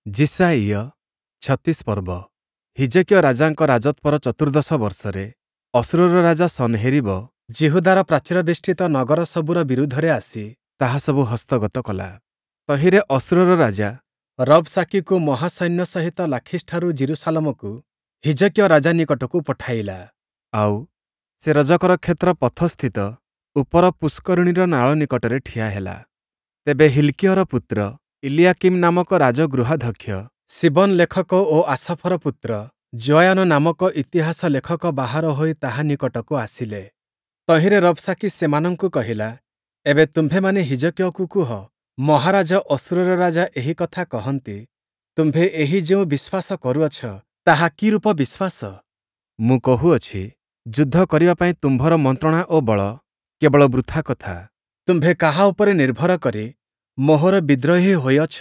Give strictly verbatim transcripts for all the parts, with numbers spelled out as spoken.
ଯିଶାଇୟ ଛତିଶ ପର୍ବ। ହିଜକିୟ ରାଜାଙ୍କ ରାଜତ୍ୱର ଚତୁର୍ଦ୍ଦଶ ବର୍ଷରେ ଅଶୂରର ରାଜା ସନ୍ହେରୀବ ଯିହୁଦାର ପ୍ରାଚୀରବେଷ୍ଟିତ ନଗର ସବୁର ବିରୁଦ୍ଧରେ ଆସି ତାହା ସବୁ ହସ୍ତଗତ କଲା। ତହିଁରେ ଅଶୂରର ରାଜା ରବ୍‌ଶାକିକୁ ମହାସୈନ୍ୟ ସହିତ ଲାଖିଶଠାରୁ ଯିରୂଶାଲମକୁ ହିଜକିୟ ରାଜା ନିକଟକୁ ପଠାଇଲା। ଆଉ ସେ ରଜକର କ୍ଷେତ୍ର ପଥସ୍ଥିତ ଉପର ପୁଷ୍କରିଣୀର ନାଳ ନିକଟରେ ଠିଆ ହେଲା। ତେବେ ହିଲ୍କିୟର ପୁତ୍ର ଇଲୀୟାକୀମ୍ ନାମକ ରାଜଗୃହାଧ୍ୟକ୍ଷ, ଶୀବନ ଲେଖକ ଓ ଆସାଫର ପୁତ୍ର ଯୋୟାନ ନାମକ ଇତିହାସ ଲେଖକ ବାହାର ହୋଇ ତାହା ନିକଟକୁ ଆସିଲେ। ତହିଁରେ ରବ୍‌ଶାକି ସେମାନଙ୍କୁ କହିଲା, ଏବେ ତୁମ୍ଭେମାନେ ହିଜକିୟକୁ କୁହ, ମହାରାଜ ଅଶୂରର ରାଜା ଏହି କଥା କହନ୍ତି, ତୁମ୍ଭେ ଏହି ଯେଉଁ ବିଶ୍ୱାସ କରୁଅଛ, ତାହା କିରୂପ ବିଶ୍ୱାସ? ମୁଁ କହୁଅଛି, ଯୁଦ୍ଧ କରିବା ପାଇଁ ତୁମ୍ଭର ମନ୍ତ୍ରଣା ଓ ବଳ କେବଳ ବୃଥା କଥା। ତୁମ୍ଭେ କାହା ଉପରେ ନିର୍ଭର କରି ମୋହର ବିଦ୍ରୋହୀ ହୋଇଅଛ?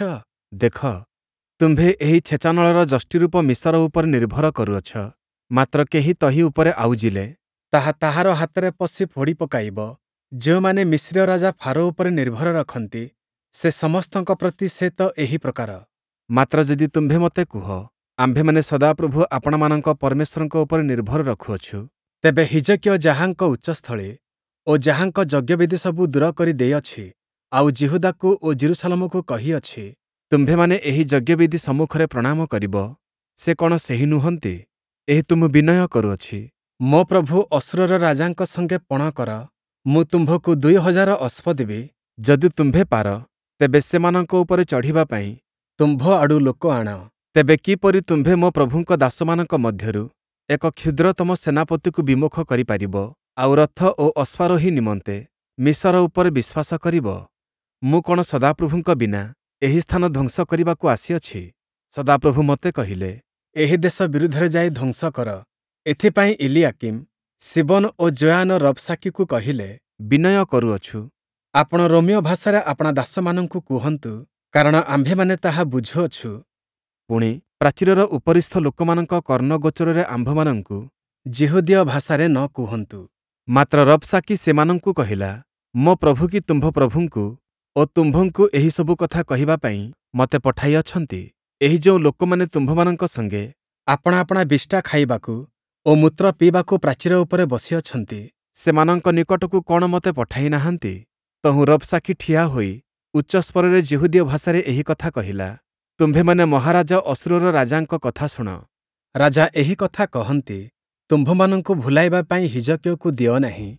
ଦେଖ, ତୁମ୍ଭେ ଏହି ଛେଚାନଳର ଯଷ୍ଟିରୂପ ମିଶର ଉପରେ ନିର୍ଭର କରୁଅଛ, ମାତ୍ର କେହି ତହିଁ ଉପରେ ଆଉଜିଲେ, ତାହା ତାହାର ହାତରେ ପଶି ଫୋଡ଼ି ପକାଇବ। ଯେଉଁମାନେ ମିସ୍ରୀୟ ରାଜା ଫାରୋ ଉପରେ ନିର୍ଭର ରଖନ୍ତି, ସେ ସମସ୍ତଙ୍କ ପ୍ରତି ସେ ତ ଏହି ପ୍ରକାର। ମାତ୍ର ଯଦି ତୁମ୍ଭେ ମୋତେ କୁହ, ଆମ୍ଭେମାନେ ସଦାପ୍ରଭୁ ଆପଣାମାନଙ୍କ ପରମେଶ୍ୱରଙ୍କ ଉପରେ ନିର୍ଭର ରଖୁଅଛୁ, ତେବେ ହିଜକିୟ ଯାହାଙ୍କ ଉଚ୍ଚସ୍ଥଳୀ ଓ ଯାହାଙ୍କ ଯଜ୍ଞବେଦି ସବୁ ଦୂର କରି ଦେଇଅଛି, ଆଉ ଯିହୁଦାକୁ ଓ ଯିରୂଶାଲମକୁ କହିଅଛି, ତୁମ୍ଭେମାନେ ଏହି ଯଜ୍ଞବେଦି ସମ୍ମୁଖରେ ପ୍ରଣାମ କରିବ, ସେ କ'ଣ ସେହି ନୁହନ୍ତି? ଏହେତୁ ମୁଁ ବିନୟ କରୁଅଛି, ମୋ ପ୍ରଭୁ ଅଶୂରର ରାଜାଙ୍କ ସଙ୍ଗେ ପଣ କର, ମୁଁ ତୁମ୍ଭକୁ ଦୁଇ ହଜାର ଅଶ୍ୱ ଦେବି, ଯଦି ତୁମ୍ଭେ ପାର, ତେବେ ସେମାନଙ୍କ ଉପରେ ଚଢ଼ିବା ପାଇଁ ତୁମ୍ଭ ଆଡ଼ୁ ଲୋକ ଆଣ। ତେବେ କିପରି ତୁମ୍ଭେ ମୋ ପ୍ରଭୁଙ୍କ ଦାସମାନଙ୍କ ମଧ୍ୟରୁ ଏକ କ୍ଷୁଦ୍ରତମ ସେନାପତିକୁ ବିମୁଖ କରିପାରିବ, ଆଉ ରଥ ଓ ଅଶ୍ୱାରୋହୀ ନିମନ୍ତେ ମିଶର ଉପରେ ବିଶ୍ୱାସ କରିବ? ମୁଁ କ'ଣ ସଦାପ୍ରଭୁଙ୍କ ବିନା ଏହି ସ୍ଥାନ ଧ୍ୱଂସ କରିବାକୁ ଆସିଅଛି? ସଦାପ୍ରଭୁ ମୋତେ କହିଲେ, ଏହି ଦେଶ ବିରୁଦ୍ଧରେ ଯାଇ ଧ୍ୱଂସ କର। ଏଥିପାଇଁ ଇଲୀୟାକୀମ୍, ଶୀବନ ଓ ଯୋୟାନ ରବ୍‌ଶାକିକୁ କହିଲେ, ବିନୟ କରୁଅଛୁ, ଆପଣ ରୋମୀୟ ଭାଷାରେ ଆପଣା ଦାସମାନଙ୍କୁ କୁହନ୍ତୁ, କାରଣ ଆମ୍ଭେମାନେ ତାହା ବୁଝୁଅଛୁ। ପୁଣି, ପ୍ରାଚୀରର ଉପରିସ୍ଥ ଲୋକମାନଙ୍କ କର୍ଣ୍ଣଗୋଚରରେ ଆମ୍ଭମାନଙ୍କୁ ଯିହୁଦୀୟ ଭାଷାରେ ନ କୁହନ୍ତୁ। ମାତ୍ର ରବ୍‌ଶାକି ସେମାନଙ୍କୁ କହିଲା, ମୋ ପ୍ରଭୁ କି ତୁମ୍ଭ ପ୍ରଭୁଙ୍କୁ ଓ ତୁମ୍ଭଙ୍କୁ ଏହିସବୁ କଥା କହିବା ପାଇଁ ମୋତେ ପଠାଇଅଛନ୍ତି? ଏହି ଯେଉଁ ଲୋକମାନେ ତୁମ୍ଭମାନଙ୍କ ସଙ୍ଗେ ଆପଣା ଆପଣା ବିଷ୍ଠା ଖାଇବାକୁ ଓ ମୂତ୍ର ପିଇବାକୁ ପ୍ରାଚୀର ଉପରେ ବସିଅଛନ୍ତି, ସେମାନଙ୍କ ନିକଟକୁ କ'ଣ ମୋତେ ପଠାଇ ନାହାନ୍ତି? ତହୁଁ ରବ୍‌ଶାକି ଠିଆ ହୋଇ ଉଚ୍ଚସ୍ୱରରେ ଯିହୁଦୀୟ ଭାଷାରେ ଏହି କଥା କହିଲା, ତୁମ୍ଭେମାନେ ମହାରାଜ ଅଶୂରର ରାଜାଙ୍କ କଥା ଶୁଣ। ରାଜା ଏହି କଥା କହନ୍ତି, ତୁମ୍ଭମାନଙ୍କୁ ଭୁଲାଇବା ପାଇଁ ହିଜକିୟକୁ ଦିଅ ନାହିଁ,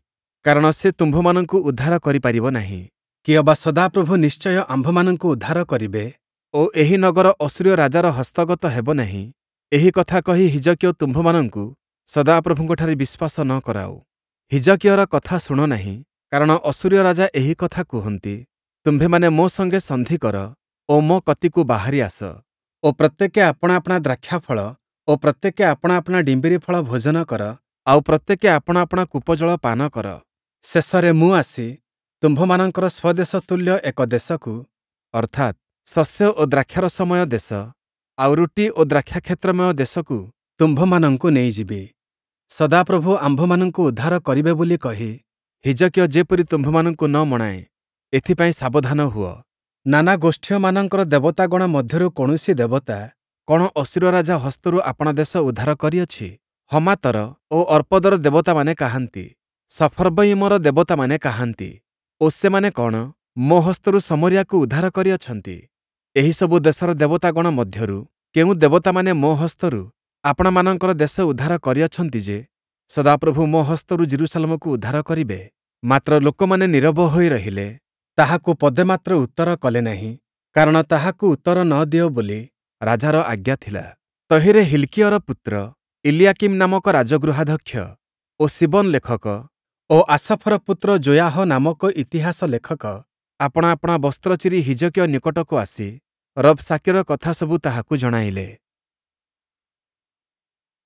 କାରଣ ସେ ତୁମ୍ଭମାନଙ୍କୁ ଉଦ୍ଧାର କରିପାରିବ ନାହିଁ। କିଅବା ସଦାପ୍ରଭୁ ନିଶ୍ଚୟ ଆମ୍ଭମାନଙ୍କୁ ଉଦ୍ଧାର କରିବେ ଓ ଏହି ନଗର ଅଶୂରୀୟ ରାଜାର ହସ୍ତଗତ ହେବ ନାହିଁ, ଏହି କଥା କହି ହିଜକିୟ ତୁମ୍ଭମାନଙ୍କୁ ସଦାପ୍ରଭୁଙ୍କଠାରେ ବିଶ୍ୱାସ ନ କରାଉ। ହିଜକିୟର କଥା ଶୁଣ ନାହିଁ, କାରଣ ଅଶୂରୀୟ ରାଜା ଏହି କଥା କୁହନ୍ତି, ତୁମ୍ଭେମାନେ ମୋ ସଙ୍ଗେ ସନ୍ଧି କର ଓ ମୋ କତିକୁ ବାହାରି ଆସ ଓ ପ୍ରତ୍ୟେକେ ଆପଣା ଆପଣା ଦ୍ରାକ୍ଷାଫଳ ଓ ପ୍ରତ୍ୟେକେ ଆପଣା ଆପଣା ଡିମ୍ବିରି ଫଳ ଭୋଜନ କର, ଆଉ ପ୍ରତ୍ୟେକେ ଆପଣା ଆପଣା କୂପଜଳ ପାନ କର। ଶେଷରେ ମୁଁ ଆସି ତୁମ୍ଭମାନଙ୍କର ସ୍ୱଦେଶ ତୁଲ୍ୟ ଏକ ଦେଶକୁ, ଅର୍ଥାତ୍ ଶସ୍ୟ ଓ ଦ୍ରାକ୍ଷାରସମୟ ଦେଶ, ଆଉ ରୁଟି ଓ ଦ୍ରାକ୍ଷାକ୍ଷେତ୍ରମୟ ଦେଶକୁ ତୁମ୍ଭମାନଙ୍କୁ ନେଇଯିବି। ସଦାପ୍ରଭୁ ଆମ୍ଭମାନଙ୍କୁ ଉଦ୍ଧାର କରିବେ ବୋଲି କହି ହିଜକିୟ ଯେପରି ତୁମ୍ଭମାନଙ୍କୁ ନ ମଣାଏ, ଏଥିପାଇଁ ସାବଧାନ ହୁଅ। ନାନା ଗୋଷ୍ଠୀୟମାନଙ୍କର ଦେବତାଗଣ ମଧ୍ୟରୁ କୌଣସି ଦେବତା କ'ଣ ଅଶୂରୀୟ ରାଜା ହସ୍ତରୁ ଆପଣା ଦେଶ ଉଦ୍ଧାର କରିଅଛି? ହମାତର ଓ ଅର୍ପଦର ଦେବତାମାନେ କାହାନ୍ତି? ସଫର୍ବୟିମର ଦେବତାମାନେ କାହାନ୍ତି? ଓ ସେମାନେ କ'ଣ ମୋ ହସ୍ତରୁ ଶମରୀୟାକୁ ଉଦ୍ଧାର କରିଅଛନ୍ତି? ଏହିସବୁ ଦେଶର ଦେବତାଗଣ ମଧ୍ୟରୁ କେଉଁ ଦେବତାମାନେ ମୋ ହସ୍ତରୁ ଆପଣାମାନଙ୍କର ଦେଶ ଉଦ୍ଧାର କରିଅଛନ୍ତି ଯେ, ସଦାପ୍ରଭୁ ମୋ ହସ୍ତରୁ ଯିରୂଶାଲମକୁ ଉଦ୍ଧାର କରିବେ? ମାତ୍ର ଲୋକମାନେ ନୀରବ ହୋଇ ରହିଲେ, ତାହାକୁ ପଦେ ମାତ୍ର ଉତ୍ତର କଲେ ନାହିଁ, କାରଣ ତାହାକୁ ଉତ୍ତର ନ ଦିଅ ବୋଲି ରାଜାର ଆଜ୍ଞା ଥିଲା। ତହିଁରେ ହିଲ୍କିୟର ପୁତ୍ର ଇଲୀୟାକୀମ୍ ନାମକ ରାଜଗୃହାଧ୍ୟକ୍ଷ ଓ ଶୀବନ ଲେଖକ ଓ ଆସାଫର ପୁତ୍ର ଯୋୟାହ ନାମକ ଇତିହାସ ଲେଖକ ଆପଣା ଆପଣା ବସ୍ତ୍ର ଚିରି ହିଜକିୟ ନିକଟକୁ ଆସି ରବ୍‌ଶାକିର କଥା ସବୁ ତାହାକୁ ଜଣାଇଲେ।